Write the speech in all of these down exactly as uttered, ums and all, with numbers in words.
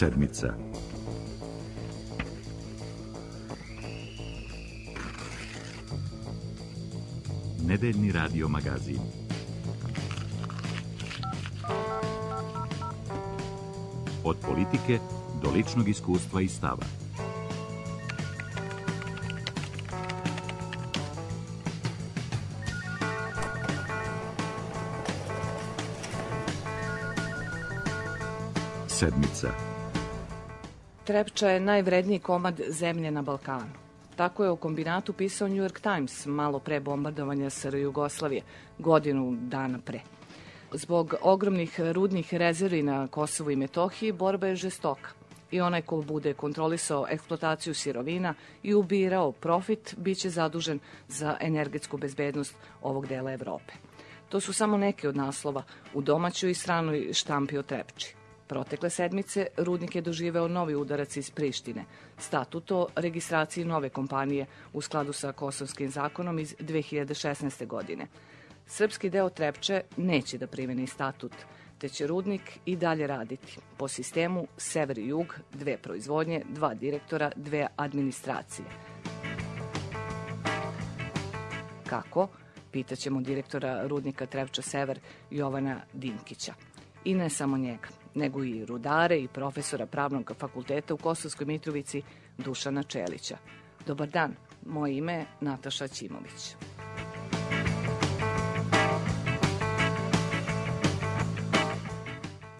Sedmica. Nedeljni radio magazin. Od politike do ličnog iskustva i stava. Sedmica. Trepča je najvredniji komad zemlje na Balkanu. Tako je o kombinatu pisao New York Times malo pre bombardovanja S R Jugoslavije, godinu dana pre. Zbog ogromnih rudnih rezervi na Kosovu i Metohiji borba je žestoka i onaj ko bude kontrolisao eksploataciju sirovina i ubirao profit biće zadužen za energetsku bezbednost ovog dela Evrope. To su samo neke od naslova u domaćoj i stranoj štampi o Trepči. Protekle sedmice rudnik je doživeo novi udarac iz Prištine, statut o registraciji nove kompanije u skladu sa kosovskim zakonom iz dve hiljade šesnaeste. godine. Srpski deo Trepče neće da primeni statut, te će rudnik i dalje raditi po sistemu sever i jug, dve proizvodnje, dva direktora, dve administracije. Kako? Pitaćemo direktora rudnika Trepča Sever Jovana Dinkića. I ne samo njega, nego i rudare i profesora Pravnog fakulteta u Kosovskoj Mitrovici Dušana Čelića. Dobar dan, moje ime je Nataša Ćimović.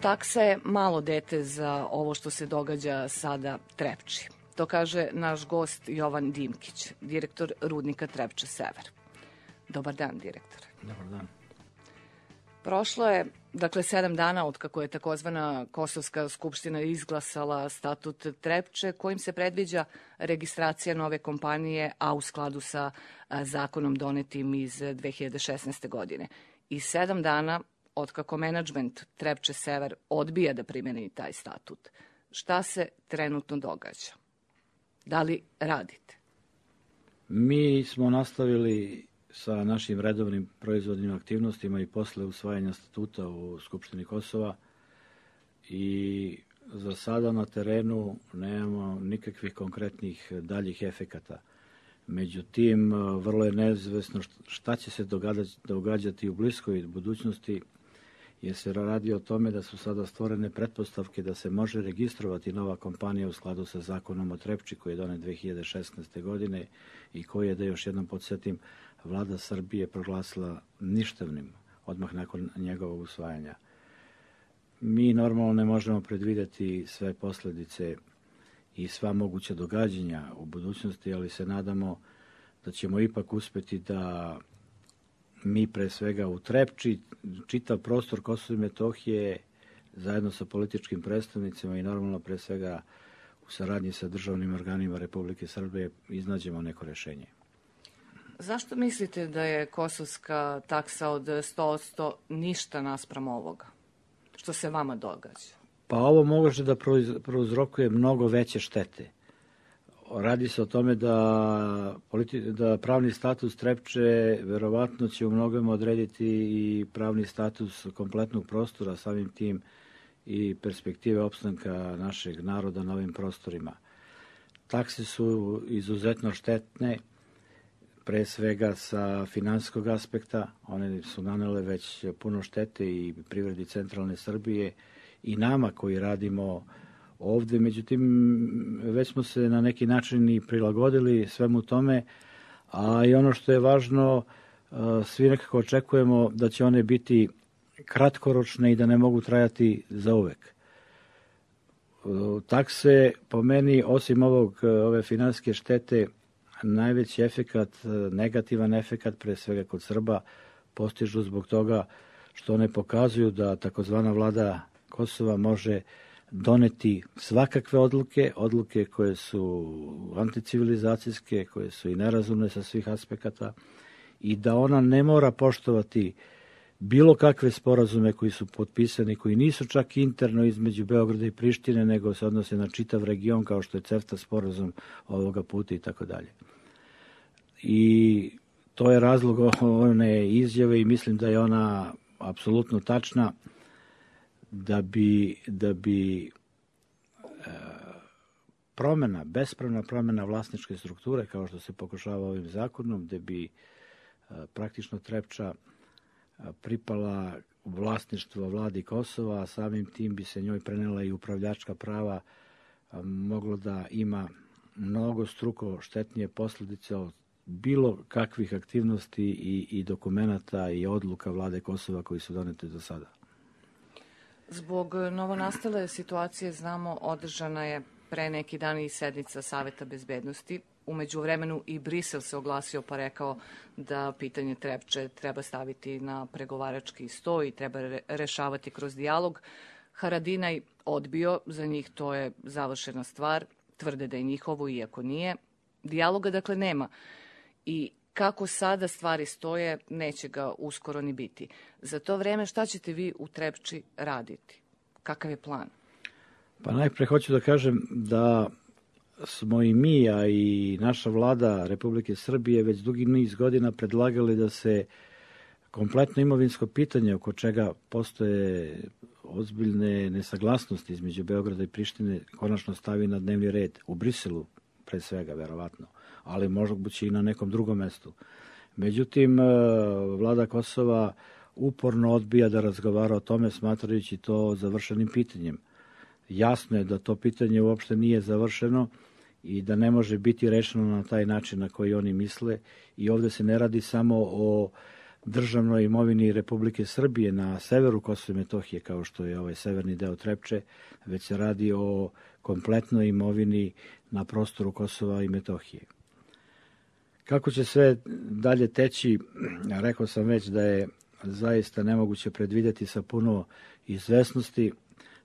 Taksa je malo dete za ovo što se događa sada Trepči. To kaže naš gost Jovan Dinkić, direktor rudnika Trepča Sever. Dobar dan, direktore. Dobar dan. Prošlo je, dakle, sedam dana od kako je takozvana Kosovska skupština izglasala statut Trepče, kojim se predviđa registracija nove kompanije, a u skladu sa a, zakonom donetim iz dve hiljade šesnaeste. godine. I sedam dana od kako menadžment Trepče Sever odbija da primeni taj statut. Šta se trenutno događa? Da li radite? Mi smo nastavili sa našim redovnim proizvodnim aktivnostima i posle usvajanja statuta u Skupštini Kosova i za sada na terenu nemamo nikakvih konkretnih daljih efekata. Međutim, vrlo je neizvesno šta će se događati u bliskoj budućnosti, jer se radi o tome da su sada stvorene pretpostavke da se može registrovati nova kompanija u skladu sa zakonom o Trepči koji je donet dve hiljade šesnaeste. godine i koji je, da još jednom podsjetim, Vlada Srbije proglasila ništavnim odmah nakon njegovog usvajanja. Mi normalno ne možemo predvideti sve posledice i sva moguća događanja u budućnosti, ali se nadamo da ćemo ipak uspeti da mi pre svega u Trepči, čitav prostor Kosova i Metohije, zajedno sa političkim predstavnicima i normalno pre svega u saradnji sa državnim organima Republike Srbije iznađemo neko rešenje. Zašto mislite da je kosovska taksa od sto posto ništa naspram ovoga? Što se vama događa? Pa ovo može da prouzrokuje mnogo veće štete. Radi se o tome da, politi, da pravni status Trepče verovatno će u mnogome odrediti i pravni status kompletnog prostora, samim tim i perspektive opstanka našeg naroda na ovim prostorima. Takse su izuzetno štetne, pre svega sa finansijskog aspekta. One su nanele već puno štete i privredi centralne Srbije i nama koji radimo ovde. Međutim, već smo se na neki način i prilagodili svemu tome, a i ono što je važno, svi nekako očekujemo da će one biti kratkoročne i da ne mogu trajati zauvek. Takse, po meni, osim ovog, ove finansijske štete, najveći efekat, negativan efekat, pre svega kod Srba, postižu zbog toga što one pokazuju da takozvana vlada Kosova može doneti svakakve odluke, odluke koje su anticivilizacijske, koje su i nerazumne sa svih aspekata i da ona ne mora poštovati bilo kakve sporazume koji su potpisani, koji nisu čak interno između Beograda i Prištine, nego se odnose na čitav region, kao što je CEFTA sporazum ovoga puta i tako dalje. I to je razlog one izjave i mislim da je ona apsolutno tačna, da bi, da bi promjena, bespravna promjena vlasničke strukture, kao što se pokušava ovim zakonom, gde bi praktično Trepča pripala u vlasništvo vladi Kosova, a samim tim bi se njoj prenela i upravljačka prava, moglo da ima mnogo struko štetnije posljedice od bilo kakvih aktivnosti i, i dokumenata i odluka vlade Kosova koji su donete do sada. Zbog novonastale situacije, znamo, održana je pre neki dan i sednica Saveta bezbednosti. U međuvremenu i Brisel se oglasio pa rekao da pitanje Trepče treba staviti na pregovarački sto i treba rešavati kroz dijalog. Haradinaj odbio, za njih to je završena stvar, tvrde da je njihovo, iako nije. Dijaloga dakle nema i kako sada stvari stoje, neće ga uskoro ni biti. Za to vreme šta ćete vi u Trepči raditi? Kakav je plan? Pa najpre hoću da kažem da smo i mi, a i naša vlada Republike Srbije već dugi niz godina predlagali da se kompletno imovinsko pitanje oko čega postoje ozbiljne nesaglasnosti između Beograda i Prištine konačno stavi na dnevni red u Briselu, pre svega, verovatno, ali možda i na nekom drugom mestu. Međutim, vlada Kosova uporno odbija da razgovara o tome, smatrajući to završenim pitanjem. Jasno je da to pitanje uopšte nije završeno i da ne može biti rešeno na taj način na koji oni misle. I ovde se ne radi samo o državnoj imovini Republike Srbije na severu Kosova i Metohije, kao što je ovaj severni deo Trepče, već se radi o kompletnoj imovini na prostoru Kosova i Metohije. Kako će sve dalje teći, rekao sam već da je zaista nemoguće predvideti sa puno izvesnosti.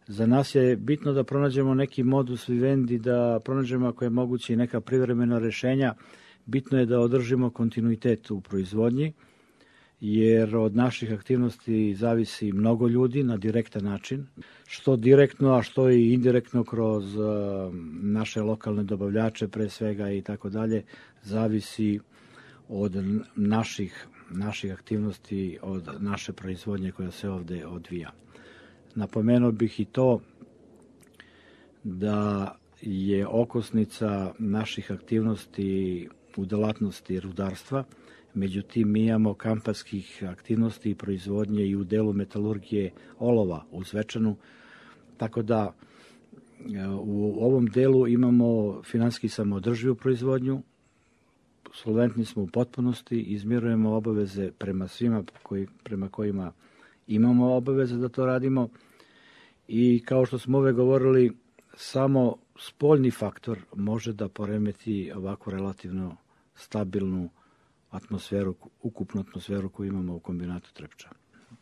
Za nas je bitno da pronađemo neki modus vivendi, da pronađemo ako je moguće i neka privremena rešenja. Bitno je da održimo kontinuitet u proizvodnji, jer od naših aktivnosti zavisi mnogo ljudi na direktan način, što direktno, a što i indirektno kroz naše lokalne dobavljače pre svega i tako dalje, zavisi od naših, naših aktivnosti, od naše proizvodnje koja se ovde odvija. Napomenuo bih i to da je okosnica naših aktivnosti u delatnosti rudarstva, međutim mi imamo kampanskih aktivnosti i proizvodnje i u delu metalurgije olova u Zvečanu, tako da u ovom delu imamo finansijski samoodrživu proizvodnju, solventni smo u potpunosti, izmirujemo obaveze prema svima koji, prema kojima imamo obaveze da to radimo i kao što smo uvek govorili, samo spoljni faktor može da poremeti ovako relativno stabilnu atmosferu, ukupnu atmosferu koju imamo u kombinatu Trepča.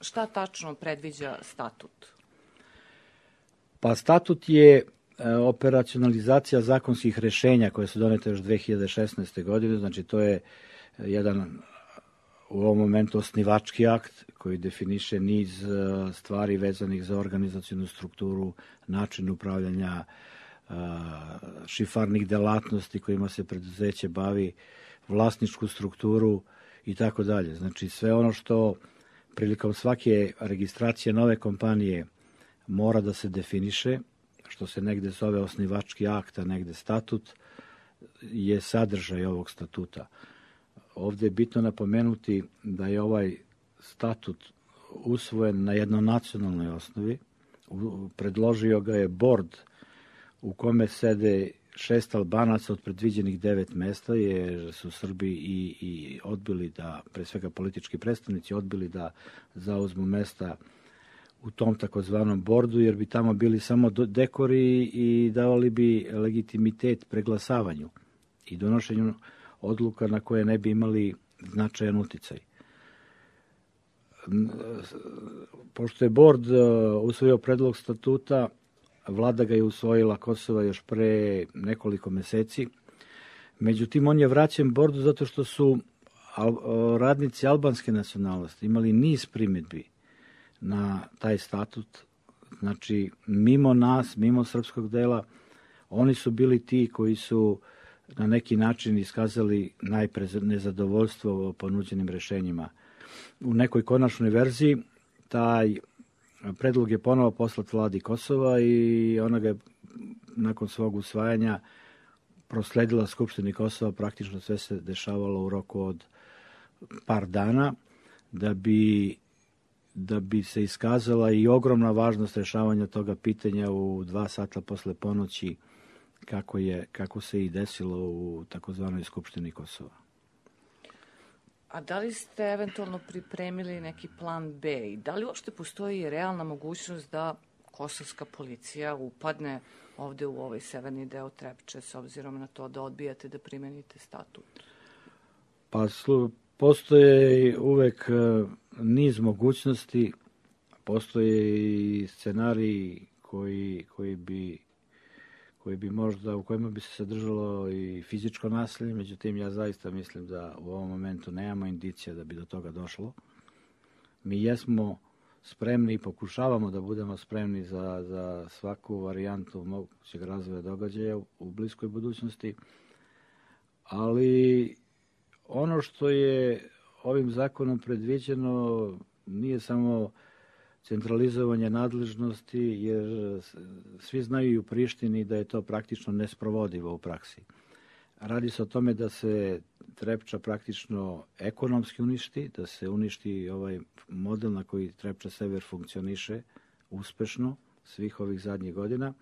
Šta tačno predviđa statut? Pa statut je operacionalizacija zakonskih rešenja koje su donete još dve hiljade šesnaeste. godine, znači to je jedan u ovom momentu osnivački akt koji definiše niz stvari vezanih za organizacionu strukturu, način upravljanja, šifarnih delatnosti kojima se preduzeće bavi, vlasničku strukturu i tako dalje. Znači sve ono što prilikom svake registracije nove kompanije mora da se definiše, što se negde zove osnivački akt, a negde statut, je sadržaj ovog statuta. Ovde je bitno napomenuti da je ovaj statut usvojen na jednonacionalnoj osnovi. Predložio ga je bord u kome sede šest Albanaca od predviđenih devet mesta, jer su Srbi i, i odbili da, pre svega politički predstavnici, odbili da zauzmu mesta u tom takozvanom bordu, jer bi tamo bili samo dekori i davali bi legitimitet preglasavanju i donošenju odluka na koje ne bi imali značajan uticaj. Pošto je bord usvojio predlog statuta, vlada ga je usvojila Kosova još pre nekoliko meseci. Međutim, on je vraćen bordu zato što su radnici albanske nacionalnosti imali niz primedbi na taj statut. Znači, mimo nas, mimo srpskog dela, oni su bili ti koji su na neki način iskazali najpre nezadovoljstvo ponuđenim rešenjima. U nekoj konačnoj verziji taj predlog je ponovo poslat vladi Kosova i ona ga je nakon svog usvajanja prosledila Skupštini Kosova, praktično sve se dešavalo u roku od par dana, da bi, da bi se iskazala i ogromna važnost rešavanja toga pitanja u dva sata posle ponoći, kako, je, kako se i desilo u takozvanoj Skupštini Kosova. A da li ste eventualno pripremili neki plan B i da li uopšte postoji realna mogućnost da kosovska policija upadne ovde u ovaj severni deo Trepče, s obzirom na to da odbijate da primenite statut? Pa postoje uvek niz mogućnosti, postoje i scenariji koji, koji bi koji bi možda, u kojima bi se sadržalo i fizičko nasilje, međutim ja zaista mislim da u ovom momentu nemamo indicija da bi do toga došlo. Mi jesmo spremni i pokušavamo da budemo spremni za, za svaku varijantu mogućeg razvoja događaja u, u bliskoj budućnosti, ali ono što je ovim zakonom predviđeno nije samo centralizovanje nadležnosti, jer svi znaju i u Prištini da je to praktično nesprovodivo u praksi. Radi se o tome da se Trepča praktično ekonomski uništi, da se uništi ovaj model na koji Trepča Sever funkcioniše uspešno svih ovih zadnjih godina.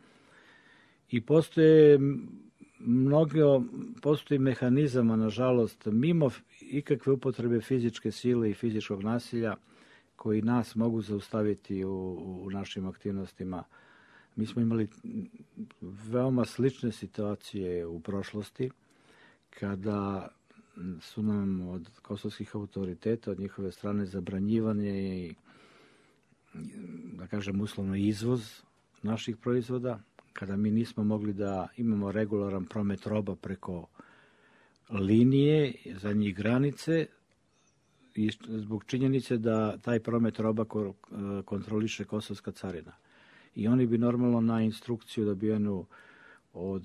I postoje mnogo, postoji mehanizama, nažalost, mimo ikakve upotrebe fizičke sile i fizičkog nasilja, koji nas mogu zaustaviti u, u našim aktivnostima. Mi smo imali veoma slične situacije u prošlosti, kada su nam od kosovskih autoriteta, od njihove strane zabranjivanje i, da kažem, uslovno izvoz naših proizvoda, kada mi nismo mogli da imamo regularan promet roba preko linije za njih granice, i zbog činjenice da taj promet roba kontroliše kosovska carina. I oni bi normalno na instrukciju dobijenu od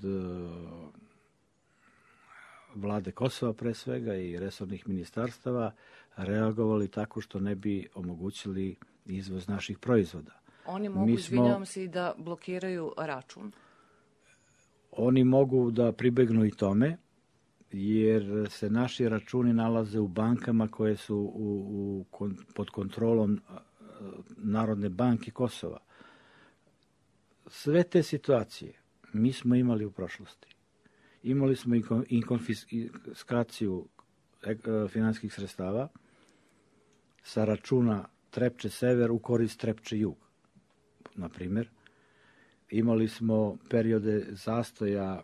vlade Kosova pre svega i resornih ministarstava reagovali tako što ne bi omogućili izvoz naših proizvoda. Oni mogu, smo, izvinjavam se, i da blokiraju račun? Oni mogu da pribegnu i tome, jer se naši računi nalaze u bankama koje su u, u, pod kontrolom Narodne banke Kosova. Sve te situacije mi smo imali u prošlosti. Imali smo i konfiskaciju finansijskih sredstava sa računa Trepče Sever u korist Trepče Jug, na primjer. Imali smo periode zastoja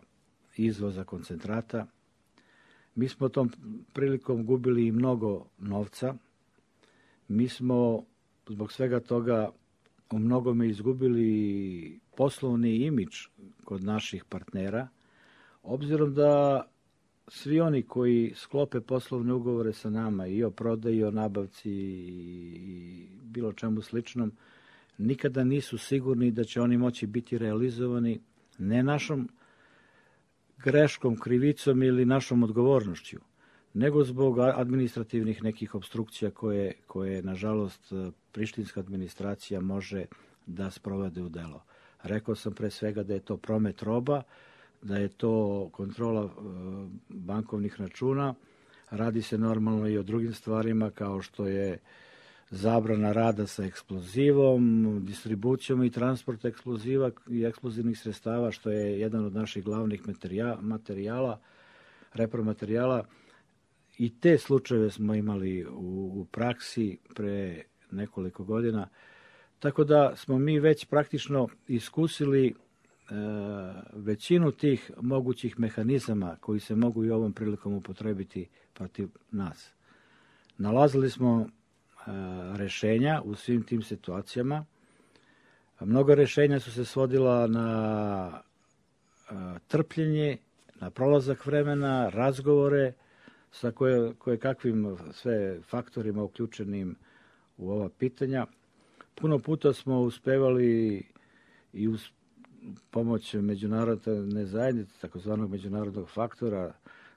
izvoza koncentrata. Mi smo tom prilikom gubili i mnogo novca. Mi smo zbog svega toga u mnogome izgubili poslovni imidž kod naših partnera, obzirom da svi oni koji sklope poslovne ugovore sa nama i o prodaji, i o nabavci i bilo čemu sličnom, nikada nisu sigurni da će oni moći biti realizovani ne našom greškom, krivicom ili našom odgovornošću, nego zbog administrativnih nekih obstrukcija koje, koje nažalost, prištinska administracija može da sprovede u delo. Rekao sam pre svega da je to promet roba, da je to kontrola bankovnih računa. Radi se normalno i o drugim stvarima kao što je zabrana rada sa eksplozivom, distribucijom i transport eksploziva i eksplozivnih sredstava, što je jedan od naših glavnih materijala, repromaterijala. I te slučajeve smo imali u, u praksi pre nekoliko godina. Tako da smo mi već praktično iskusili e, većinu tih mogućih mehanizama koji se mogu i ovom prilikom upotrebiti protiv nas. Nalazili smo rešenja u svim tim situacijama. Mnogo rešenja su se svodila na trpljenje, na prolazak vremena, razgovore sa koje, koje kakvim sve faktorima uključenim u ova pitanja. Puno puta smo uspevali i uz pomoć međunarodne zajednice, takozvanog međunarodnog faktora,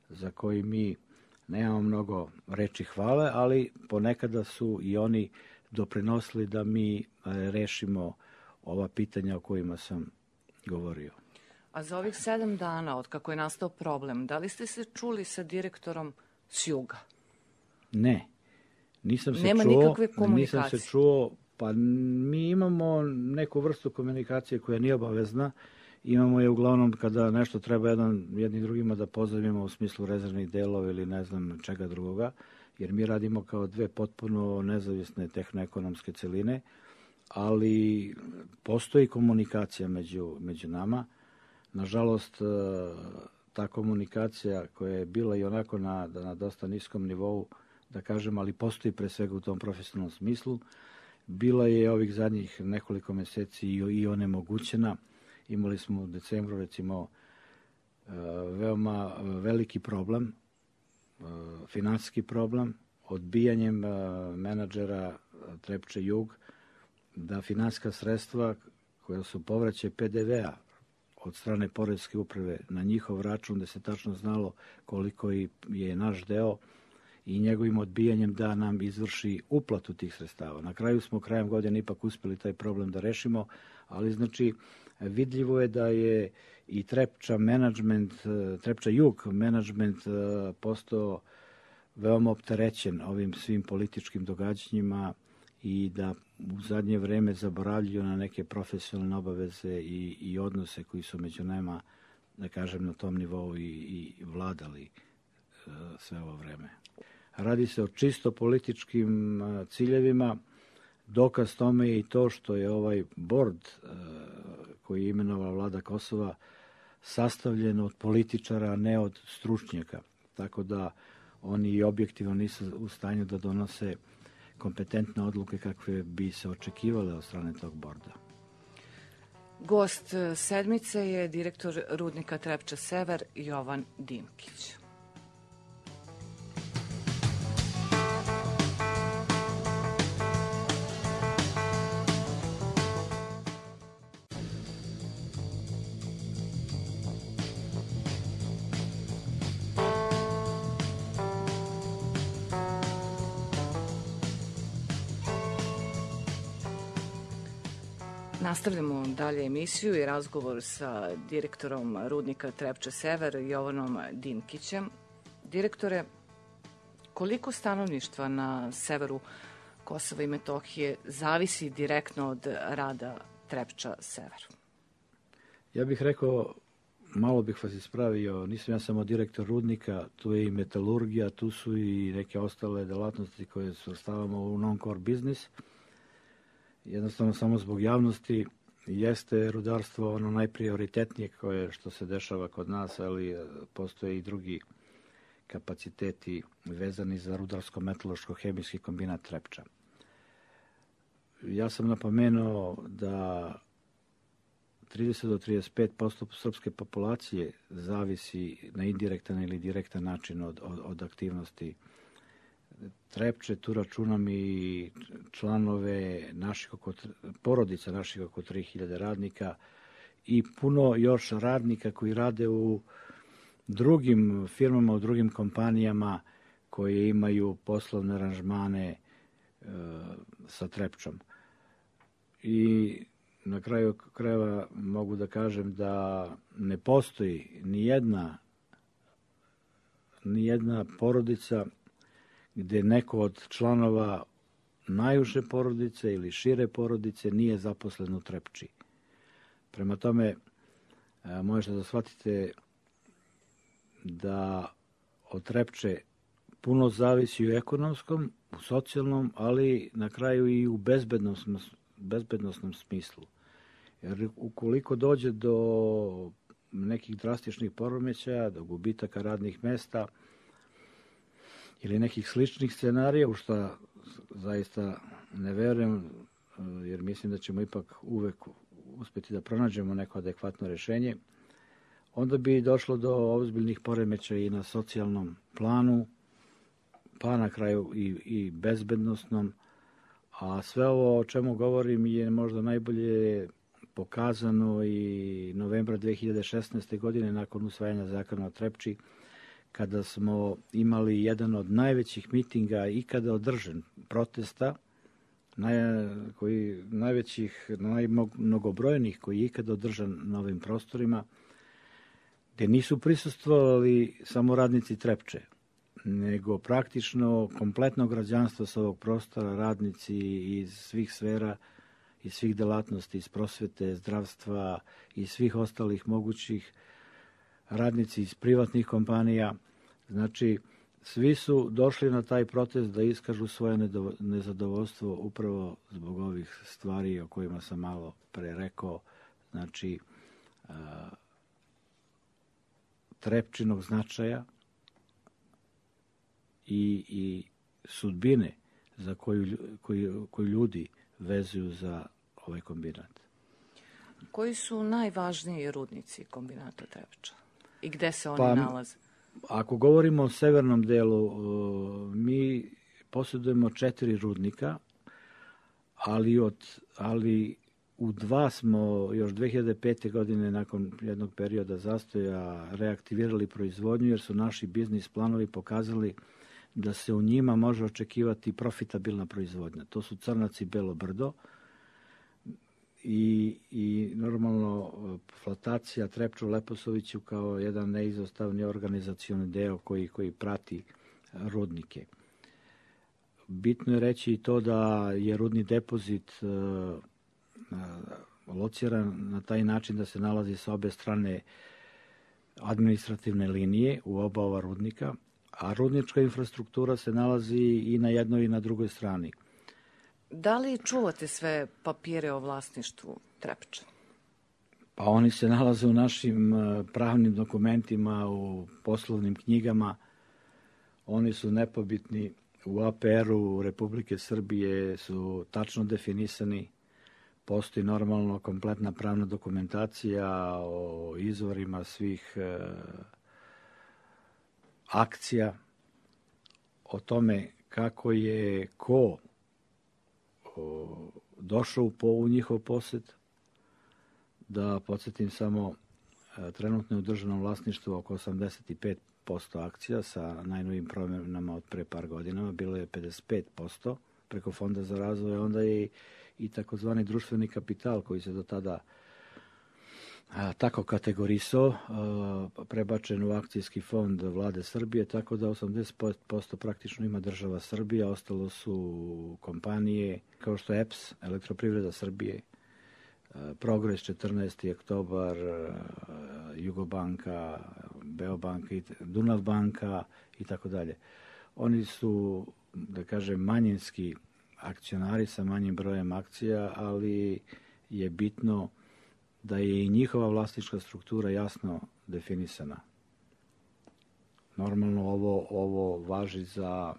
za koji mi nemamo mnogo reči hvale, ali ponekada su i oni doprinosili da mi rešimo ova pitanja o kojima sam govorio. A za ovih sedam dana, od kako je nastao problem, da li ste se čuli sa direktorom s juga? Ne, nisam se Nema čuo. nikakve komunikacije? Nisam se čuo, pa mi imamo neku vrstu komunikacije koja nije obavezna. Imamo je uglavnom kada nešto treba jedan, jedni drugima da pozovimo u smislu rezervnih delova ili ne znam čega drugoga, jer mi radimo kao dve potpuno nezavisne tehnoekonomske celine, ali postoji komunikacija među, među nama. Nažalost, ta komunikacija koja je bila i onako na, na dosta niskom nivou, da kažem, ali postoji pre svega u tom profesionalnom smislu, bila je ovih zadnjih nekoliko meseci i, i onemogućena. Imali smo u decembru, recimo, veoma veliki problem, finansijski problem, odbijanjem menadžera Trepče Jug, da finansijska sredstva koja su povraćaj P D V-a od strane Poreske uprave na njihov račun, da se tačno znalo koliko je naš deo, i njegovim odbijanjem da nam izvrši uplatu tih sredstava. Na kraju smo krajem godine ipak uspeli taj problem da rešimo, ali znači vidljivo je da je i Trepča menadžment, Trepča Jug menadžment postao veoma opterećen ovim svim političkim događanjima i da u zadnje vreme zaboravljaju na neke profesionalne obaveze i, i odnose koji su među nama, da kažem, na tom nivou i, i vladali sve ovo vreme. Radi se o čisto političkim ciljevima. Dokaz tome je i to što je ovaj bord koji je imenovala vlada Kosova sastavljen od političara, a ne od stručnjaka. Tako da oni i objektivno nisu u stanju da donose kompetentne odluke kakve bi se očekivale od strane tog borda. Gost sedmice je direktor rudnika Trepča Sever Jovan Dinkić. Nastavljamo dalje emisiju i razgovor sa direktorom rudnika Trepča Sever Jovanom Dinkićem. Direktore, koliko stanovništva na severu Kosova i Metohije zavisi direktno od rada Trepča Sever? Ja bih rekao, malo bih vas ispravio, nisam ja samo direktor rudnika, tu je i metalurgija, tu su i neke ostale delatnosti koje svrstavamo u non-core biznis. Jednostavno samo zbog javnosti jeste rudarstvo ono najprioritetnije koje što se dešava kod nas, ali postoje i drugi kapaciteti vezani za rudarsko-metaloško-hemijski kombinat Trepča. Ja sam napomenuo da trideset do trideset pet posto srpske populacije zavisi na indirektan ili direktan način od, od, od aktivnosti Trepče. Tu računam i članove naših oko, porodica naših oko tri hiljade radnika i puno još radnika koji rade u drugim firmama, u drugim kompanijama koje imaju poslovne aranžmane e, sa Trepčom. I na kraju krajeva mogu da kažem da ne postoji ni jedna, ni jedna porodica gde neko od članova najuže porodice ili šire porodice nije zaposlen u Trepči. Prema tome, možete da shvatite da od Trepče puno zavisi u ekonomskom, u socijalnom, ali na kraju i u bezbednosnom, bezbednosnom smislu. Jer ukoliko dođe do nekih drastičnih poremećaja, do gubitaka radnih mesta ili nekih sličnih scenarija, u što zaista ne verujem, jer mislim da ćemo ipak uvek uspeti da pronađemo neko adekvatno rešenje, onda bi došlo do ozbiljnih poremećaja i na socijalnom planu, pa na kraju i, i bezbednostnom. A sve ovo o čemu govorim je možda najbolje pokazano i novembra dve hiljade šesnaeste. godine nakon usvajanja zakona o Trepči, kada smo imali jedan od najvećih mitinga ikada održan, protesta, naj, koji, najvećih, najmnogobrojnijih koji je ikada održan na ovim prostorima, gde nisu prisustvovali samo radnici Trepče, nego praktično kompletno građanstvo sa ovog prostora, radnici iz svih sfera, iz svih delatnosti, iz prosvete, zdravstva i svih ostalih mogućih, radnici iz privatnih kompanija. Znači, svi su došli na taj protest da iskažu svoje nezadovoljstvo upravo zbog ovih stvari o kojima sam malo pre rekao, znači a, Trepčinog značaja i, i sudbine za koju, koju, koju ljudi vezuju za ovaj kombinat. Koji su najvažniji rudnici kombinata Trepča i gde se oni pa, nalaze? Ako govorimo o severnom delu, mi posjedujemo četiri rudnika, ali, od, ali u dva smo još dve hiljade pete. godine nakon jednog perioda zastoja reaktivirali proizvodnju, jer su naši biznis planovi pokazali da se u njima može očekivati profitabilna proizvodnja. To su Crnac i Belo Brdo i, i normalno flotacija Trepča u Leposaviću kao jedan neizostavni organizacioni deo koji, koji prati rudnike. Bitno je reći i to da je rudni depozit uh, lociran na taj način da se nalazi sa obe strane administrativne linije u oba ova rudnika, a rudnička infrastruktura se nalazi i na jednoj i na drugoj strani. Da li čuvate sve papire o vlasništvu Trepča? Pa oni se nalaze u našim pravnim dokumentima, u poslovnim knjigama. Oni su nepobitni. U A P R-u Republike Srbije su tačno definisani. Postoji normalno kompletna pravna dokumentacija o izvorima svih e, akcija, o tome kako je ko o, došao u, po, u njihov posed. Da podsjetim samo, e, trenutno je u državnom vlasništvu oko osamdeset pet posto akcija, sa najnovim promjenama od pre par godina, bilo je pedeset pet posto preko Fonda za razvoj, onda je i takozvani društveni kapital koji se do tada a, tako kategorisao, a, prebačen u akcijski fond Vlade Srbije, tako da osamdeset posto praktično ima država Srbija, ostalo su kompanije kao što je E P S, Elektroprivreda Srbije, a, Progres, četrnaesti oktobar, a, Jugobanka, Beobanka, Dunav banka i tako dalje. Oni su, da kažem, manjinski akcionari sa manjim brojem akcija, ali je bitno da je i njihova vlasnička struktura jasno definisana. Normalno ovo, ovo važi za,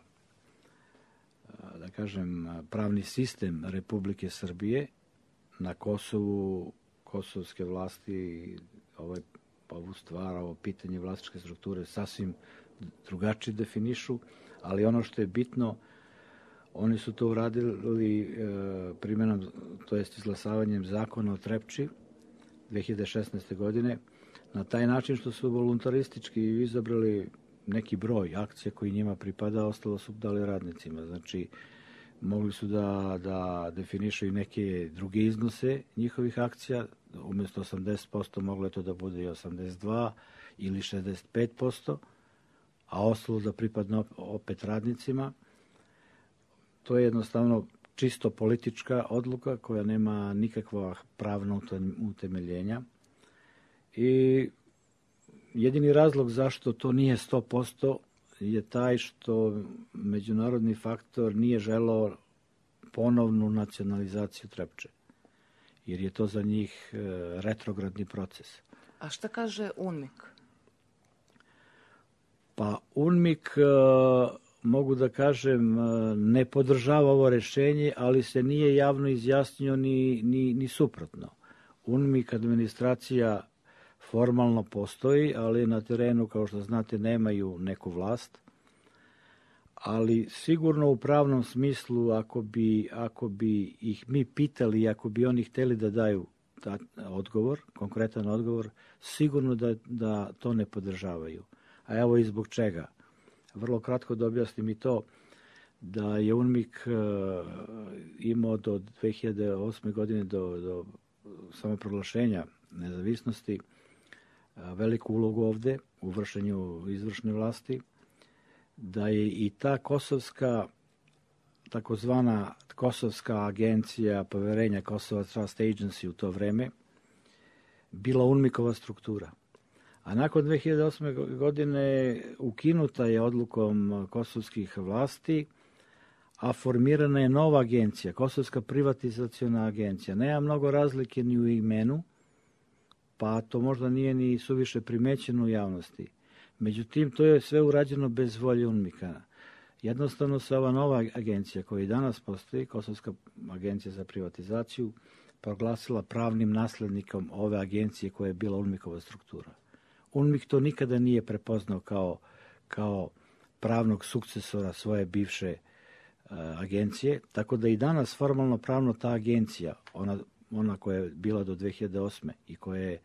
da kažem, pravni sistem Republike Srbije. Na Kosovu, kosovske vlasti ovaj, ovu stvar, ovo pitanje vlasničke strukture sasvim drugačije definišu, ali ono što je bitno, oni su to uradili e, primjenom, to jest izglasavanjem zakona o Trepči dve hiljade šesnaeste. godine, na taj način što su voluntaristički izabrali neki broj akcija koji njima pripada, ostalo su dali radnicima. Znači, mogli su da, da definišu i neke druge iznose njihovih akcija, umjesto osamdeset posto moglo je to da bude i osamdeset dva ili šezdeset pet posto, a ostalo da pripadne opet radnicima. To je jednostavno čisto politička odluka koja nema nikakva pravna utemeljenja. I jedini razlog zašto to nije sto posto je taj što međunarodni faktor nije želeo ponovnu nacionalizaciju Trepče, jer je to za njih retrogradni proces. A šta kaže U N M I K? Pa U N M I K, mogu da kažem, ne podržava ovo rešenje, ali se nije javno izjasnio ni, ni, ni suprotno. U N M I K administracija formalno postoji, ali na terenu, kao što znate, nemaju neku vlast. Ali sigurno u pravnom smislu, ako bi, ako bi ih mi pitali, ako bi oni hteli da daju ta, odgovor, konkretan odgovor, sigurno da, da to ne podržavaju. A evo i zbog čega. Vrlo kratko da objasnim i to, da je U N M I K imao do dve hiljade osme. godine, do, do samoproglašenja nezavisnosti, veliku ulogu ovde u vršenju izvršne vlasti, da je i ta kosovska, takozvana Kosovska agencija poverenja, Kosovo Trust Agency u to vreme, bila UNMIK-ova struktura. A nakon dve hiljade osme. godine ukinuta je odlukom kosovskih vlasti, a formirana je nova agencija, Kosovska privatizaciona agencija. Nema mnogo razlike ni u imenu, pa to možda nije ni suviše primećeno u javnosti. Međutim, to je sve urađeno bez volje UNMIK-a. Jednostavno se ova nova agencija koja i danas postoji, Kosovska agencija za privatizaciju, proglasila pravnim naslednikom ove agencije koja je bila UNMIK-ova struktura. UNMIK to nikada nije prepoznao kao, kao pravnog sukcesora svoje bivše uh, agencije, tako da i danas formalno pravno ta agencija, ona, ona koja je bila do dve hiljade osme. i koja je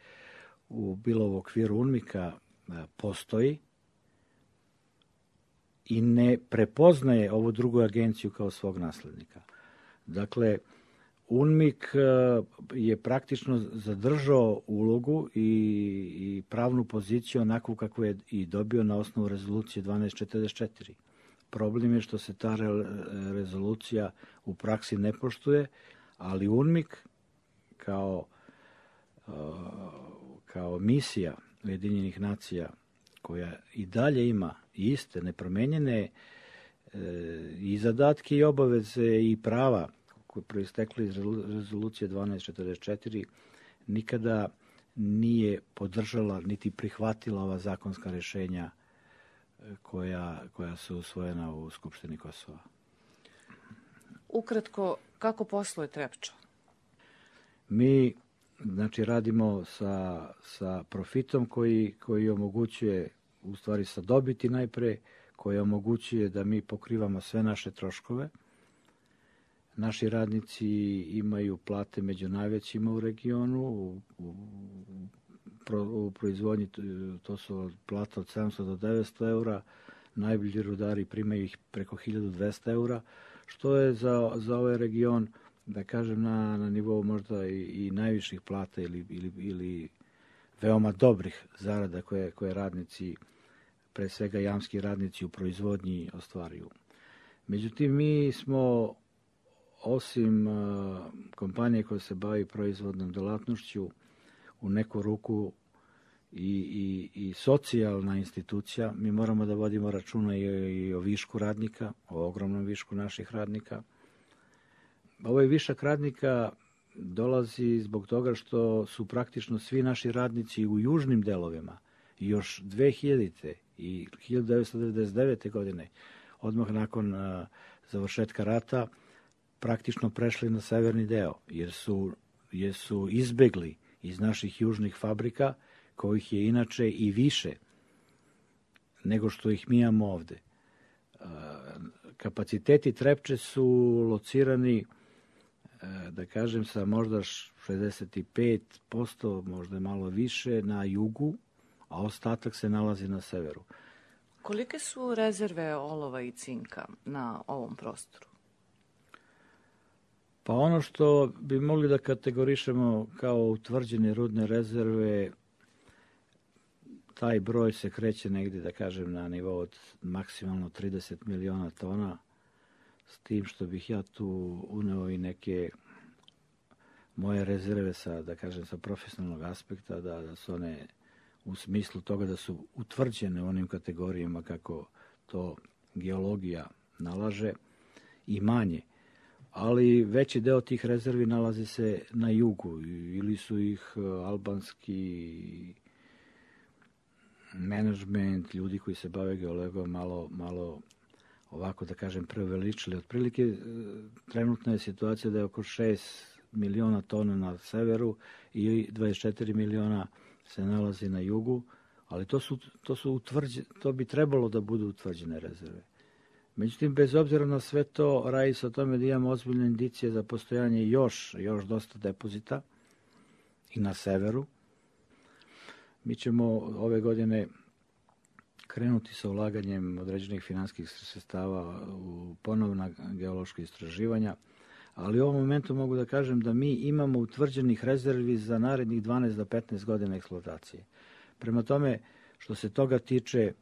u, bila u okviru UNMIK-a, uh, postoji i ne prepoznaje ovu drugu agenciju kao svog naslednika. Dakle, UNMIK je praktično zadržao ulogu i, i pravnu poziciju onakvu kakvu je i dobio na osnovu rezolucije dvanaest četrdeset četiri. Problem je što se ta re, rezolucija u praksi ne poštuje, ali UNMIK kao, kao misija Ujedinjenih nacija koja i dalje ima iste, nepromenjene i zadatke i obaveze i prava koje proistekli iz rezolucije dvanaest četrdeset četiri, nikada nije podržala niti prihvatila ova zakonska rešenja koja, koja su usvojena u Skupštini Kosova. Ukratko, kako posluje Trepča? Mi znači, radimo sa, sa profitom koji, koji omogućuje, u stvari sa dobiti najpre, koji omogućuje da mi pokrivamo sve naše troškove. Naši radnici imaju plate među najvećima u regionu, u, u, u proizvodnji to su plata od sedamsto do devetsto eura, najbolji rudari primaju ih preko hiljadu dvesta eura, što je za, za ovaj region, da kažem, na, na nivou možda i, i najviših plata ili, ili, ili veoma dobrih zarada koje, koje radnici, pre svega jamski radnici u proizvodnji ostvaruju. Međutim, mi smo osim uh, kompanije koja se bavi proizvodnom delatnošću, u neku ruku i, i, i socijalna institucija, mi moramo da vodimo računa i, i o višku radnika, o ogromnom višku naših radnika. Ovaj višak radnika dolazi zbog toga što su praktično svi naši radnici u južnim delovima još dve hiljadite. i hiljadu devetsto devedeset devete. godine, odmah nakon uh, završetka rata, praktično prešli na severni deo, jer su, jer su izbegli iz naših južnih fabrika, kojih je inače i više nego što ih mi imamo ovde. Uh, kapaciteti Trepče su locirani, uh, da kažem, sa možda šezdeset pet posto, možda malo više, na jugu, a ostatak se nalazi na severu. Kolike su rezerve olova i cinka na ovom prostoru? Pa ono što bi mogli da kategorišemo kao utvrđene rudne rezerve, taj broj se kreće negdje, da kažem, na nivou od maksimalno trideset miliona tona, s tim što bih ja tu uneo i neke moje rezerve sa, da kažem, sa profesionalnog aspekta, da, da su one u smislu toga da su utvrđene u onim kategorijama kako to geologija nalaže i manje. Ali veći deo tih rezervi nalazi se na jugu ili su ih albanski menadžment, ljudi koji se bave geologijom malo, malo ovako da kažem preuveličili. Otprilike trenutna je situacija da je oko šest miliona tona na severu i dvadeset četiri miliona se nalazi na jugu, ali to su, to su utvrđene, to bi trebalo da budu utvrđene rezerve. Međutim, bez obzira na sve to, radi se o tome da imamo ozbiljne indicije za postojanje još, još dosta depozita i na severu. Mi ćemo ove godine krenuti sa ulaganjem određenih finansijskih sredstava u ponovna geološka istraživanja, ali u ovom momentu mogu da kažem da mi imamo utvrđenih rezervi za narednih dvanaest do petnaest godina eksploatacije. Prema tome, što se toga tiče,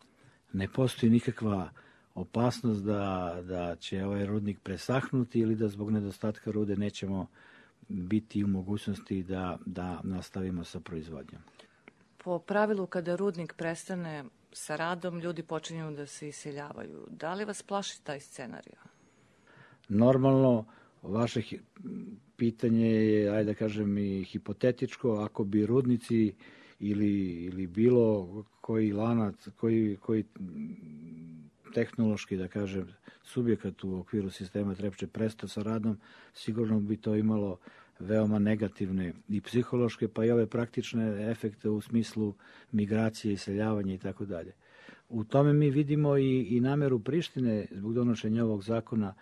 ne postoji nikakva opasnost da, da će ovaj rudnik presahnuti ili da zbog nedostatka rude nećemo biti u mogućnosti da, da nastavimo sa proizvodnjom. Po pravilu, kada rudnik prestane sa radom, ljudi počinju da se iseljavaju. Da li vas plaši taj scenarij? Normalno, vaše pitanje je, ajde da kažem, i hipotetičko. Ako bi rudnici ili, ili bilo koji lanac, koji, koji tehnološki, da kažem, subjekat u okviru sistema Trepče prestao sa radom, sigurno bi to imalo veoma negativne i psihološke, pa i ove praktične efekte u smislu migracije, iseljavanja i tako dalje. U tome mi vidimo i, i nameru Prištine zbog donošenja ovog zakona,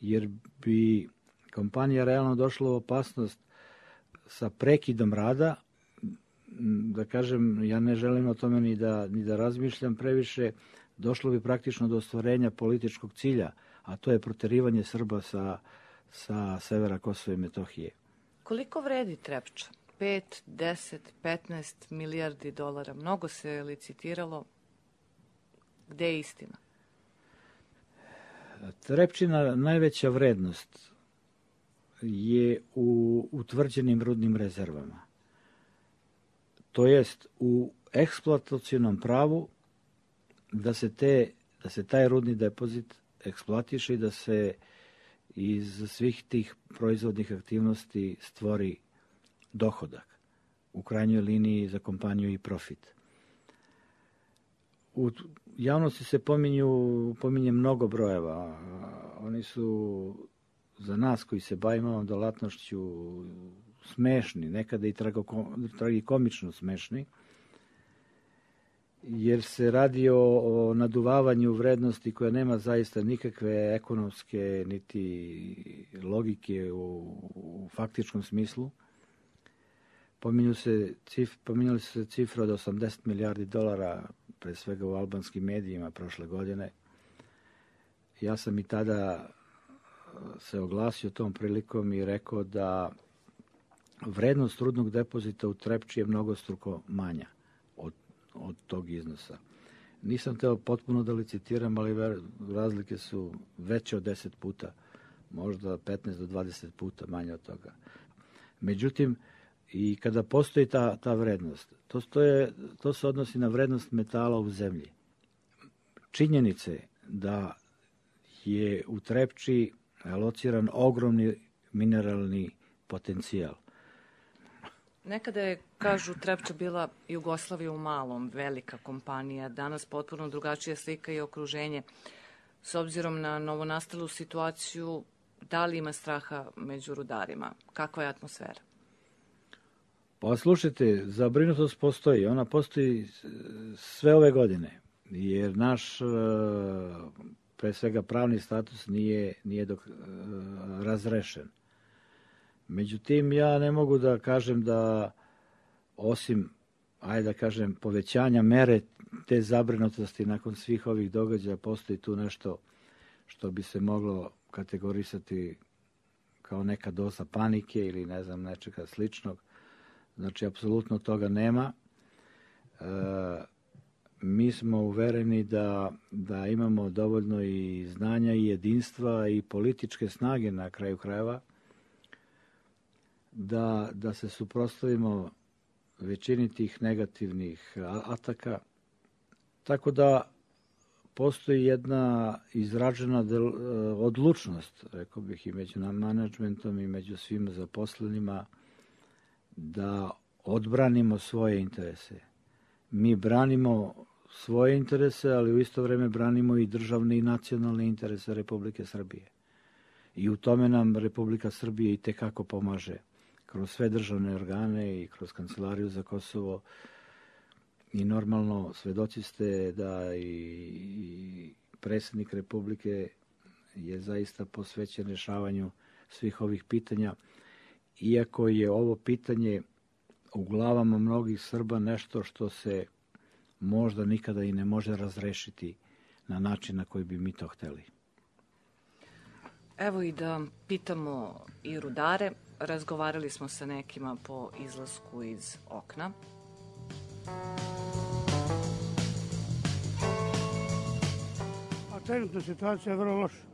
jer bi kompanija realno došla u opasnost sa prekidom rada. Da kažem, ja ne želim o tome ni da, ni da razmišljam previše, došlo bi praktično do ostvarenja političkog cilja, a to je proterivanje Srba sa, sa severa Kosova i Metohije. Koliko vredi Trepča? pet, deset, petnaest milijardi dolara. Mnogo se licitiralo. Gde je istina? Trepčina najveća vrednost je u utvrđenim rudnim rezervama. To jest u eksploatacionom pravu da se, te, da se taj rudni depozit eksploatiše i da se iz svih tih proizvodnih aktivnosti stvori dohodak. U krajnjoj liniji za kompaniju i profit. U javnosti se pominju, pominje mnogo brojeva. Oni su za nas koji se bavimo ovom dolatnošću smešni, nekada i tragikomično smešni, jer se radi o, o naduvavanju vrednosti koja nema zaista nikakve ekonomske niti logike u, u faktičkom smislu. Pominju se cif, pominjali su se cifre od osamdeset milijardi dolara, pre svega u albanskim medijima prošle godine. Ja sam i tada se oglasio tom prilikom i rekao da vrednost rudnog depozita u Trepči je mnogostruko manja od, od tog iznosa. Nisam teo potpuno da licitiram, ali razlike su veće od deset puta, možda petnaest do dvadeset puta manje od toga. Međutim, i kada postoji ta, ta vrednost, to, stoje, to se odnosi na vrednost metala u zemlji. Činjenice da je u Trepči lociran ogromni mineralni potencijal. Nekada je, kažu, Trepča bila Jugoslavija u malom, velika kompanija, danas potpuno drugačija slika i okruženje. S obzirom na novonastalu situaciju, da li ima straha među rudarima? Kakva je atmosfera? Pa slušajte, zabrinutost postoji. Ona postoji sve ove godine, jer naš, pre svega, pravni status nije, nije dok, razrešen. Međutim, ja ne mogu da kažem da, osim, ajde da kažem, povećanja mere te zabrinutosti nakon svih ovih događaja, postoji tu nešto što bi se moglo kategorisati kao neka doza panike ili ne znam, nečega sličnog. Znači, apsolutno toga nema. E, mi smo uvereni da, da imamo dovoljno i znanja i jedinstva i političke snage na kraju krajeva da, da se suprotstavimo većini tih negativnih ataka. Tako da postoji jedna izražena del, odlučnost, rekao bih, i među menadžmentom i među svim zaposlenima da odbranimo svoje interese. Mi branimo svoje interese, ali u isto vreme branimo i državne i nacionalne interese Republike Srbije. I u tome nam Republika Srbije i tekako pomaže kroz sve državne organe i kroz Kancelariju za Kosovo. I normalno svedoci ste da i predsjednik Republike je zaista posvećen rješavanju svih ovih pitanja, iako je ovo pitanje u glavama mnogih Srba nešto što se možda nikada i ne može razrešiti na način na koji bi mi to hteli. Evo i da pitamo i rudare. Razgovarali smo sa nekima po izlasku iz okna. trenutna situacija je vrlo loša.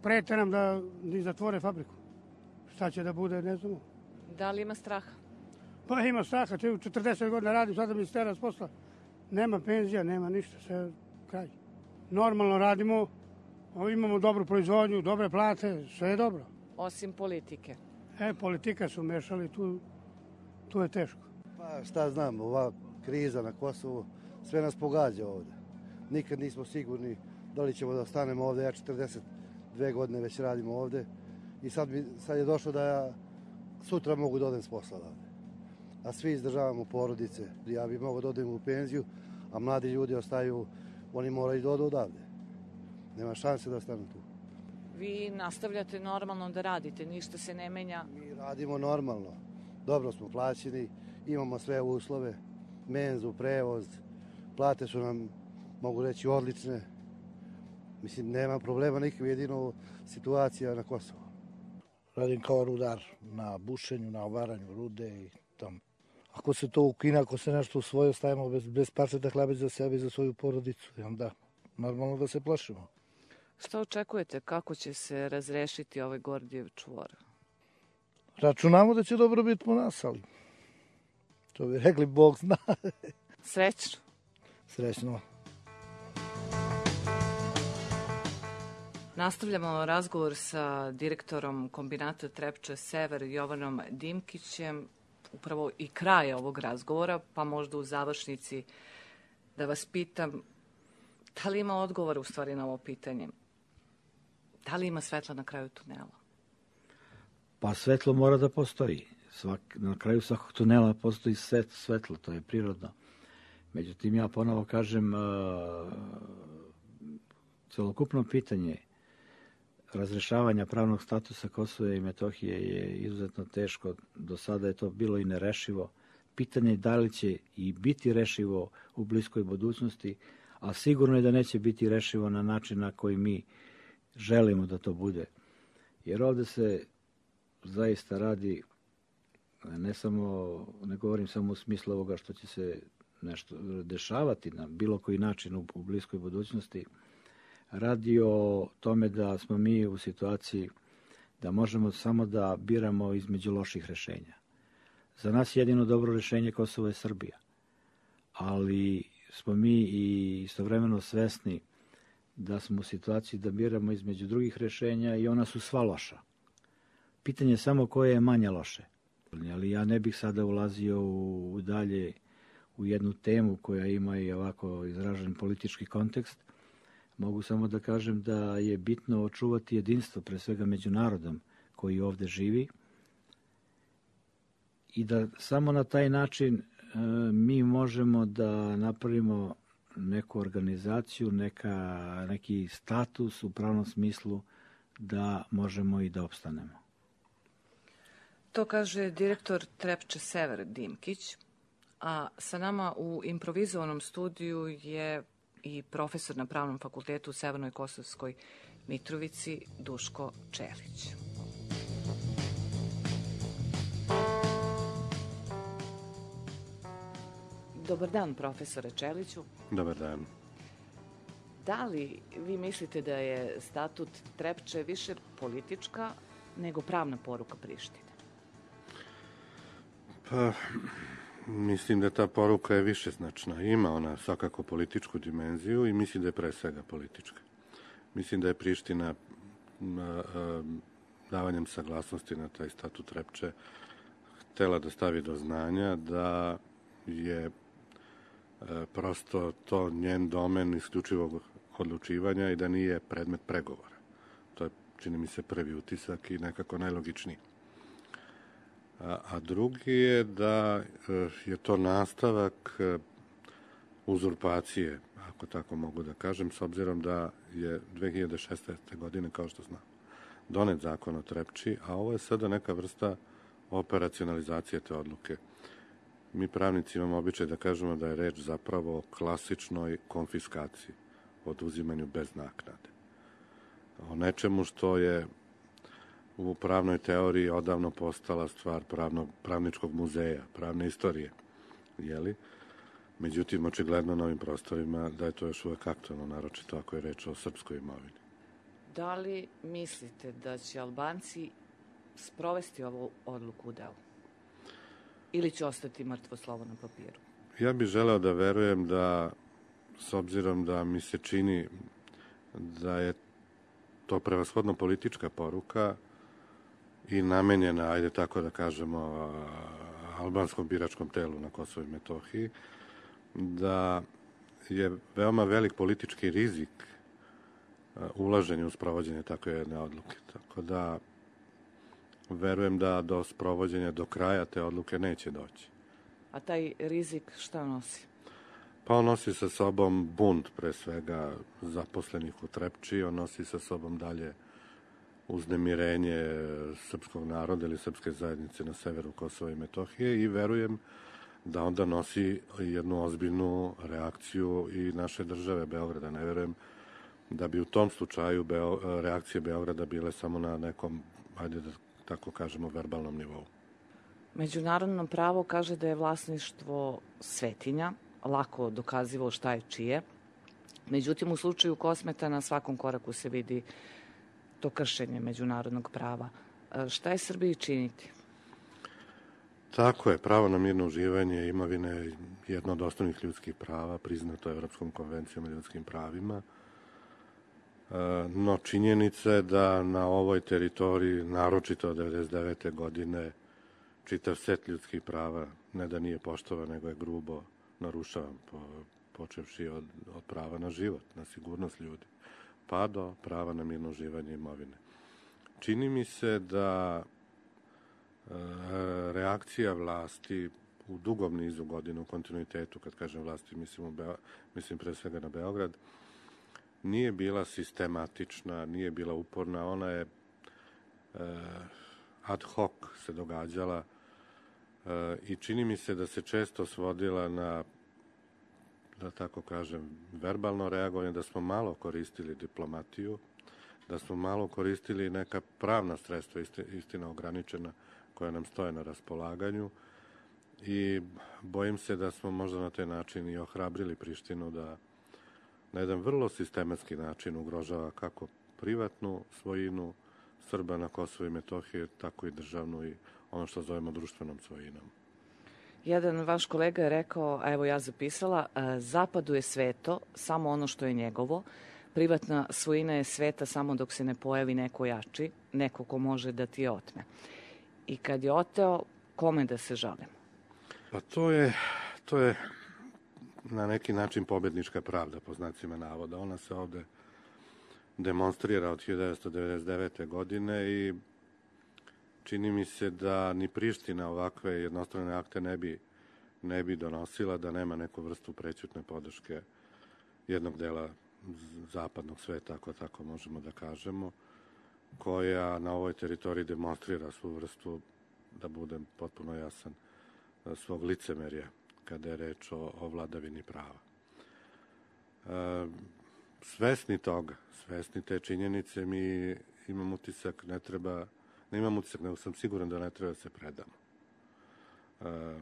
Prete nam da ni zatvore fabriku. Šta će da bude, ne znamo. Da li ima straha? Pa ima straha, četrdeset godina radim, sada mi stera s posla. Nema penzija, nema ništa, sve kraj. Normalno radimo, imamo dobru proizvodnju, dobre plate, sve je dobro. Osim politike? E, politika su mešali, tu, tu je teško. Pa šta znam, ova kriza na Kosovu, sve nas pogađa ovde. Nikad nismo sigurni da li ćemo da ostanemo ovde, ja četrdeset dve godine već radim ovde i sad, bi, sad je došlo da ja sutra mogu da odem s posla ovde. A svi izdržavamo porodice, ja bi mogao da odem u penziju, a mladi ljudi ostaju, oni moraju da odu odavde. Nema šanse da ostanu tu. Vi nastavljate normalno da radite, ništa se ne menja? Mi radimo normalno, dobro smo plaćeni, imamo sve uslove, menzu, prevoz, plate su nam, mogu reći, odlične. Mislim, nema problema nikakve, jedino situacija na Kosovu. Radim kao rudar na bušenju, na obaranju rude i tamo. Ako se to ukine, ako se nešto usvoji, stavimo bez, bez parčeta hleba za sebe i za svoju porodicu. I onda normalno da se plašimo. Šta očekujete, kako će se razrešiti ovaj Gordijev čvor? Računamo da će dobro biti po nas, ali to bi rekli, Bog zna. Srećno. Srećno. Nastavljamo razgovor sa direktorom kombinata Trepča Sever Jovanom Dimkićem. Upravo i kraje ovog razgovora, pa možda u završnici da vas pitam da li ima odgovor u stvari na ovo pitanje? Da li ima svetla na kraju tunela? Pa svetlo mora da postoji. Svak, na kraju svakog tunela postoji svet, svetlo, to je prirodno. Međutim, ja ponovo kažem, uh, celokupno pitanje razrešavanja pravnog statusa Kosova i Metohije je izuzetno teško. Do sada je to bilo i nerešivo. Pitanje je da li će i biti rešivo u bliskoj budućnosti, a sigurno je da neće biti rešivo na način na koji mi želimo da to bude. Jer ovde se zaista radi, ne samo, ne govorim samo u smislu ovoga što će se nešto dešavati na bilo koji način u, u bliskoj budućnosti, radi o tome da smo mi u situaciji da možemo samo da biramo između loših rešenja. Za nas jedino dobro rešenje Kosovo je Srbija, ali smo mi i istovremeno svesni da smo u situaciji da biramo između drugih rešenja i ona su sva loša. Pitanje je samo koje je manje loše. Ali ja ne bih sada ulazio u, u dalje u jednu temu koja ima i ovako izražen politički kontekst. Mogu samo da kažem da je bitno očuvati jedinstvo, pre svega među narodom koji ovde živi, i da samo na taj način e, mi možemo da napravimo neku organizaciju, neka, neki status u pravnom smislu da možemo i da opstanemo. To kaže direktor Trepče Sever Dimkić, a sa nama u improvizovanom studiju je i profesor na Pravnom fakultetu u Severnoj Kosovskoj Mitrovici Duško Čelić. Dobar dan, profesore Čeliću. Dobar dan. Da li vi mislite da je statut Trepče više politička nego pravna poruka Prištine? Pa, mislim da ta poruka je višeznačna. Ima ona svakako političku dimenziju i mislim da je pre svega politička. Mislim da je Priština a, a, davanjem saglasnosti na taj statut Trepče htela da stavi do znanja da je a, prosto to njen domen isključivog odlučivanja i da nije predmet pregovora. To je, čini mi se, prvi utisak i nekako najlogičniji. A, a drugi je da je to nastavak uzurpacije, ako tako mogu da kažem, s obzirom da je dve hiljade šesnaeste. godine, kao što znam, donet zakon o Trepči, a ovo je sada neka vrsta operacionalizacije te odluke. Mi pravnici imamo običaj da kažemo da je reč zapravo o klasičnoj konfiskaciji, oduzimanju bez naknade. O nečemu što je u pravnoj teoriji odavno postala stvar pravnog, pravničkog muzeja, pravne istorije, jeli? Međutim, očigledno na ovim prostorima da je to još uvek aktualno, naročito ako je reč o srpskoj imovini. Da li mislite da će Albanci sprovesti ovu odluku u delu? Ili će ostati mrtvo slovo na papiru? Ja bih želeo da verujem da, s obzirom da mi se čini da je to prevashodno politička poruka i namenjena, ajde tako da kažemo, albanskom biračkom telu na Kosovu i Metohiji, da je veoma velik politički rizik ulaženje u sprovođenje takve jedne odluke. Tako da verujem da do sprovođenja do kraja te odluke neće doći. A taj rizik šta nosi? Pa on nosi sa sobom bunt, pre svega, zaposlenih u Trepči, on nosi sa sobom dalje uznemirenje srpskog naroda ili srpske zajednice na severu Kosova i Metohije i verujem da onda nosi jednu ozbiljnu reakciju i naše države Beograda. Ne verujem da bi u tom slučaju Beo, reakcije Beograda bile samo na nekom, ajde da tako kažemo, verbalnom nivou. Međunarodno pravo kaže da je vlasništvo svetinja, lako dokazivo šta je čije. Međutim, u slučaju Kosmeta na svakom koraku se vidi to kršenje međunarodnog prava. Šta je Srbiji činiti? Tako je, pravo na mirno uživanje imovine je jedno od osnovnih ljudskih prava, priznato Evropskom konvencijom o ljudskim pravima. No, činjenica je da na ovoj teritoriji, naročito od devedeset devete godine, čitav set ljudskih prava ne da nije poštovan, nego je grubo narušavan, po, počevši od, od prava na život, na sigurnost ljudi, pa do prava na mirno uživanje imovine. Čini mi se da e, reakcija vlasti u dugom nizu godina, u kontinuitetu, kad kažem vlasti, mislim, u Beo, mislim pre svega na Beograd, nije bila sistematična, nije bila uporna, ona je e, ad hoc se događala e, i čini mi se da se često svodila na, da tako kažem, verbalno reagovanje, da smo malo koristili diplomatiju, da smo malo koristili neka pravna sredstva, istina ograničena, koja nam stoje na raspolaganju i bojim se da smo možda na taj način i ohrabrili Prištinu da na jedan vrlo sistematski način ugrožava kako privatnu svojinu Srba na Kosovu i Metohiji, tako i državnu i ono što zovemo društvenom svojinom. Jedan vaš kolega je rekao, a evo ja zapisala, Zapadu je sveto samo ono što je njegovo, privatna svojina je sveta samo dok se ne pojavi neko jači, neko ko može da ti je otme. I kad je oteo, kome da se žalimo? Pa to je, to je na neki način pobednička pravda, po znacima navoda. Ona se ovde demonstrira od hiljadu devetsto devedeset devete. godine i čini mi se da ni Priština ovakve jednostrane akte ne bi, ne bi donosila da nema neku vrstu prećutne podrške jednog dela zapadnog sveta, ako tako možemo da kažemo, koja na ovoj teritoriji demonstrira svu vrstu, da budem potpuno jasan, svog licemerja kada je reč o, o vladavini prava. E, svesni toga, svesni te činjenice, mi imam utisak, ne treba, ne imam utisak, nego sam siguran da ne treba da se predamo. E,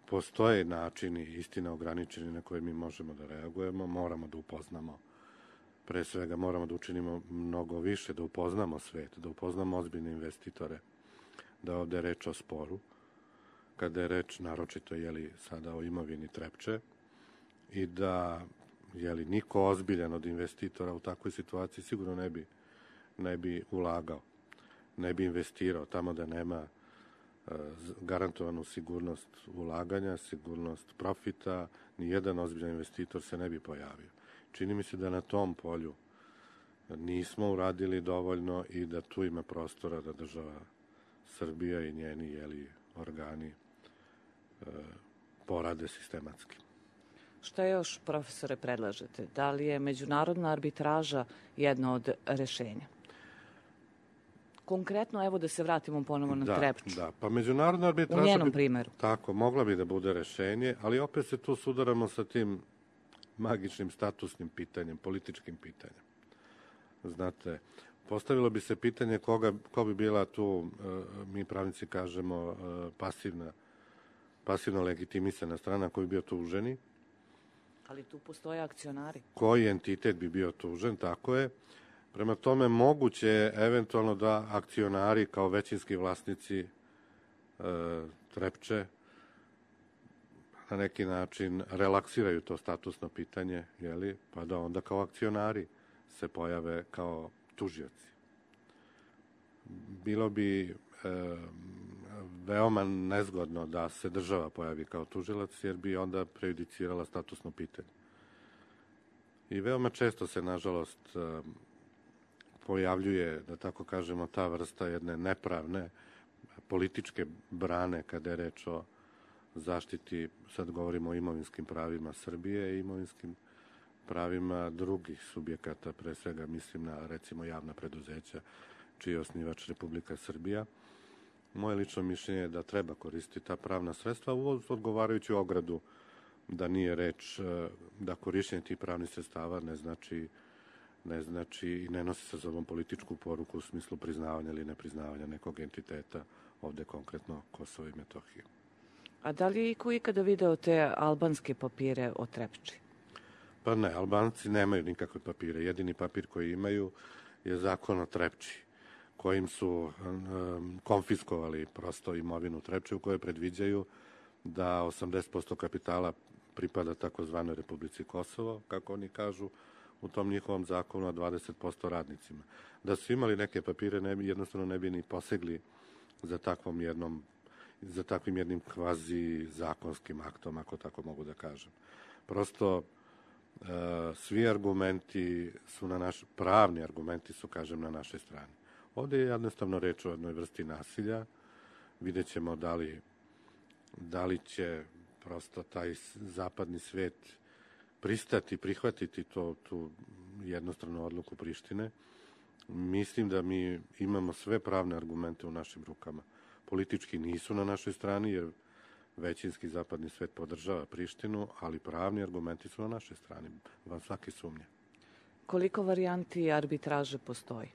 postoje načini, istina ograničeni, na koje mi možemo da reagujemo, moramo da upoznamo, pre svega moramo da učinimo mnogo više, da upoznamo svet, da upoznamo ozbiljne investitore, da ovde je reč o sporu, kada je reč naročito jeli, sada o imovini Trepče i da jeli, niko ozbiljan od investitora u takvoj situaciji sigurno ne bi, ne bi ulagao, ne bi investirao tamo da nema e, garantovanu sigurnost ulaganja, sigurnost profita, ni jedan ozbiljan investitor se ne bi pojavio. Čini mi se da na tom polju nismo uradili dovoljno i da tu ima prostora da država Srbija i njeni jeli, organi porade sistematski. Šta još, profesore, predlažete? Da li je međunarodna arbitraža jedno od rešenja? Konkretno, evo da se vratimo ponovo na da, Trepču. Da, pa međunarodna arbitraža... U njenom bi, primeru. Tako, mogla bi da bude rešenje, ali opet se tu sudaramo sa tim magičnim statusnim pitanjem, političkim pitanjem. Znate, postavilo bi se pitanje koga, ko bi bila tu, mi pravnici kažemo, pasivna pasivno legitimisana strana koji bi bio tuženi. Ali tu postoje akcionari. Koji entitet bi bio tužen, tako je. Prema tome, moguće je eventualno da akcionari kao većinski vlasnici e, Trepče na neki način relaksiraju to statusno pitanje, jeli, pa da onda kao akcionari se pojave kao tužioci. Bilo bi e, veoma nezgodno da se država pojavi kao tužilac, jer bi onda prejudicirala statusno pitanje. I veoma često se, nažalost, e, pojavljuje, da tako kažemo, ta vrsta jedne nepravne političke brane kada je reč o zaštiti, sad govorimo o imovinskim pravima Srbije i imovinskim pravima drugih subjekata, pre svega mislim na, recimo, javna preduzeća, čiji je osnivač Republika Srbija. Moje lično mišljenje je da treba koristiti ta pravna sredstva uz odgovarajuću ogradu, da nije reč da korišćenje tih pravnih sredstava ne znači ne znači i ne nosi sa sobom političku poruku u smislu priznavanja ili nepriznavanja nekog entiteta, ovde konkretno Kosovo i Metohije. A da li je iko ikada video te albanske papire o Trepči? Pa ne, Albanci nemaju nikakve papire. Jedini papir koji imaju je zakon o Trepči, kojim su um, konfiskovali prosto imovinu Trepče, u kojoj predviđaju da osamdeset posto kapitala pripada takozvanoj Republici Kosovo, kako oni kažu, u tom njihovom zakonu, a dvadeset posto radnicima. Da su imali neke papire, ne bi, jednostavno ne bi ni posegli za takvom jednom, za takvim jednim kvazi zakonskim aktom, ako tako mogu da kažem. Prosto, e, svi argumenti su na naš, pravni argumenti su, kažem, na našoj strani. Ovde je jednostavno reč o jednoj vrsti nasilja. Vidjet ćemo da li, da li će prosto taj zapadni svet pristati, prihvatiti to, tu jednostranu odluku Prištine. Mislim da mi imamo sve pravne argumente u našim rukama. Politički nisu na našoj strani, jer većinski zapadni svet podržava Prištinu, ali pravni argumenti su na našoj strani, van svake sumnje. Koliko varijanti arbitraže postoji?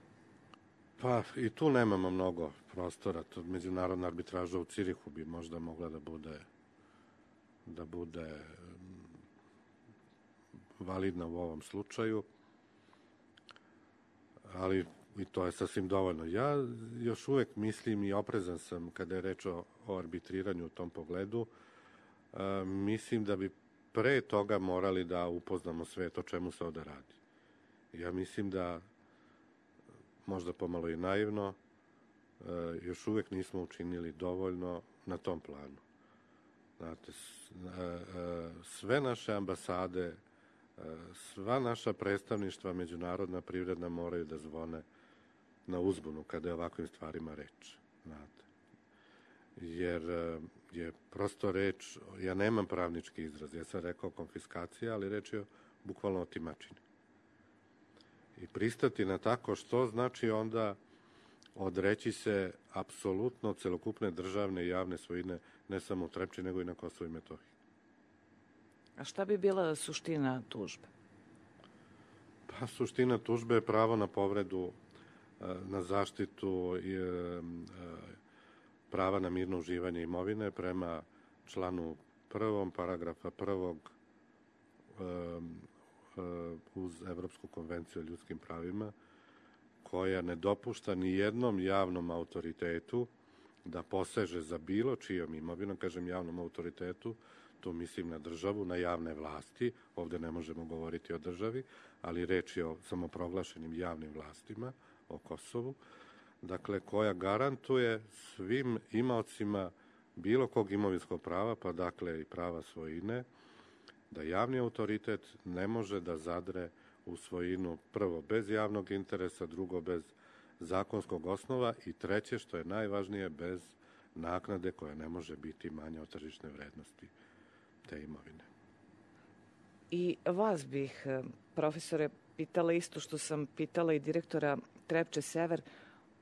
Pa i tu nemamo mnogo prostora. To međunarodna arbitraža u Cirihu bi možda mogla da bude da bude validna u ovom slučaju, ali i to je sasvim dovoljno. Ja još uvek mislim i oprezan sam kada je reč o, o arbitriranju u tom pogledu. E, mislim da bi pre toga morali da upoznamo svet o čemu se ovde radi. Ja mislim da, možda pomalo i naivno, e, još uvek nismo učinili dovoljno na tom planu. Znate, sve naše ambasade, sva naša predstavništva međunarodna, privredna moraju da zvone na uzbunu kada je ovakvim stvarima reč. Znate. Jer je prosto reč, ja nemam pravnički izraz, ja sam rekao konfiskacija, ali reč je bukvalno o otimačini. I pristati na tako što znači onda odreći se apsolutno celokupne državne i javne svojine, ne samo u Trepči, nego i na Kosovo i Metohiji. A šta bi bila suština tužbe? Pa suština tužbe je pravo na povredu, na zaštitu i prava na mirno uživanje imovine prema članu prvom paragrafa prvog uz Evropsku konvenciju o ljudskim pravima, koja ne dopušta ni jednom javnom autoritetu da poseže za bilo čijom imovinom, kažem javnom autoritetu, tu mislim na državu, na javne vlasti, ovde ne možemo govoriti o državi, ali reč je o samoproglašenim javnim vlastima, o Kosovu, dakle, koja garantuje svim imaocima bilo kog imovinskog prava, pa dakle i prava svojine, da javni autoritet ne može da zadre u svojinu, prvo bez javnog interesa, drugo bez zakonskog osnova i treće, što je najvažnije, bez naknade koja ne može biti manja od tržišne vrednosti te imovine. I vas bih, profesore, pitala isto što sam pitala i direktora Trepče Sever,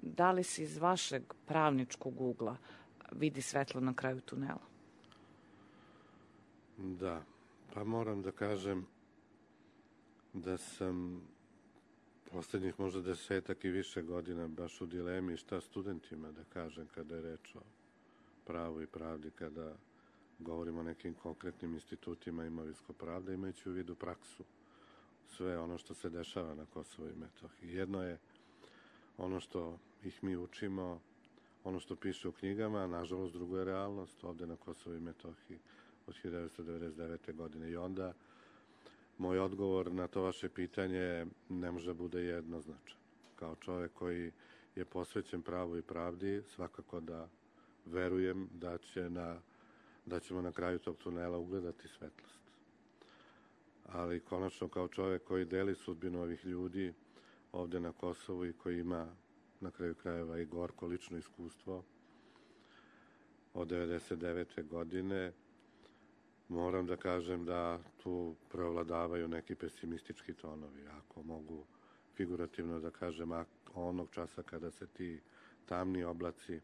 da li se iz vašeg pravničkog ugla vidi svetlo na kraju tunela? Da, pa moram da kažem da sam poslednjih možda desetak i više godina baš u dilemi šta studentima da kažem kada je reč o pravu i pravdi, kada govorimo o nekim konkretnim institutima imovinsko pravda, imajući u vidu praksu sve ono što se dešava na Kosovu i Metohiji. Jedno je ono što ih mi učimo, ono što piše u knjigama, nažalost drugo je realnost ovde na Kosovu i Metohiji od hiljadu devetsto devedeset devete. godine. I onda moj odgovor na to vaše pitanje ne može da bude jednoznačan. Kao čovek koji je posvećen pravu i pravdi, svakako da verujem da, će na, da ćemo na kraju tog tunela ugledati svetlost. Ali konačno kao čovek koji deli sudbinu ovih ljudi ovde na Kosovu i koji ima na kraju krajeva i gorko lično iskustvo od devedeset devete. godine, moram da kažem da tu preovladavaju neki pesimistički tonovi, ako mogu figurativno da kažem, onog časa kada se ti tamni oblaci e,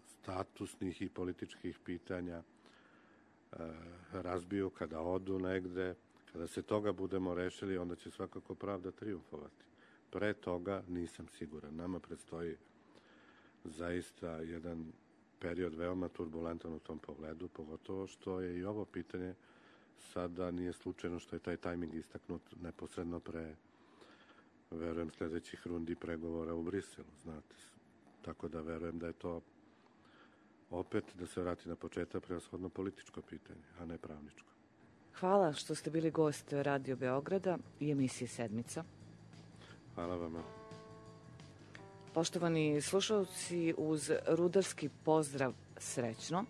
statusnih i političkih pitanja e, razbiju, kada odu negde, kada se toga budemo rešili, onda će svakako pravda trijumfovati. Pre toga nisam siguran. Nama predstoji zaista jedan period veoma turbulentan u tom pogledu, pogotovo što je i ovo pitanje sada nije slučajno što je taj tajming istaknut neposredno pre, verujem, sledećih rundi pregovora u Briselu, znate. Tako da verujem da je to opet, da se vrati na početak, prevashodno političko pitanje, a ne pravničko. Hvala što ste bili gost Radio Beograda i emisije Sedmica. Hvala vama. Poštovani slušalci, uz rudarski pozdrav srećno.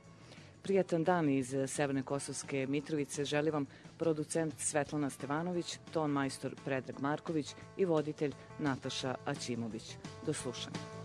Prijatan dan iz Severne Kosovske Mitrovice želi vam producent Svetlana Stevanović, ton majstor Predrag Marković i voditelj Nataša Aćimović. Do slušanja.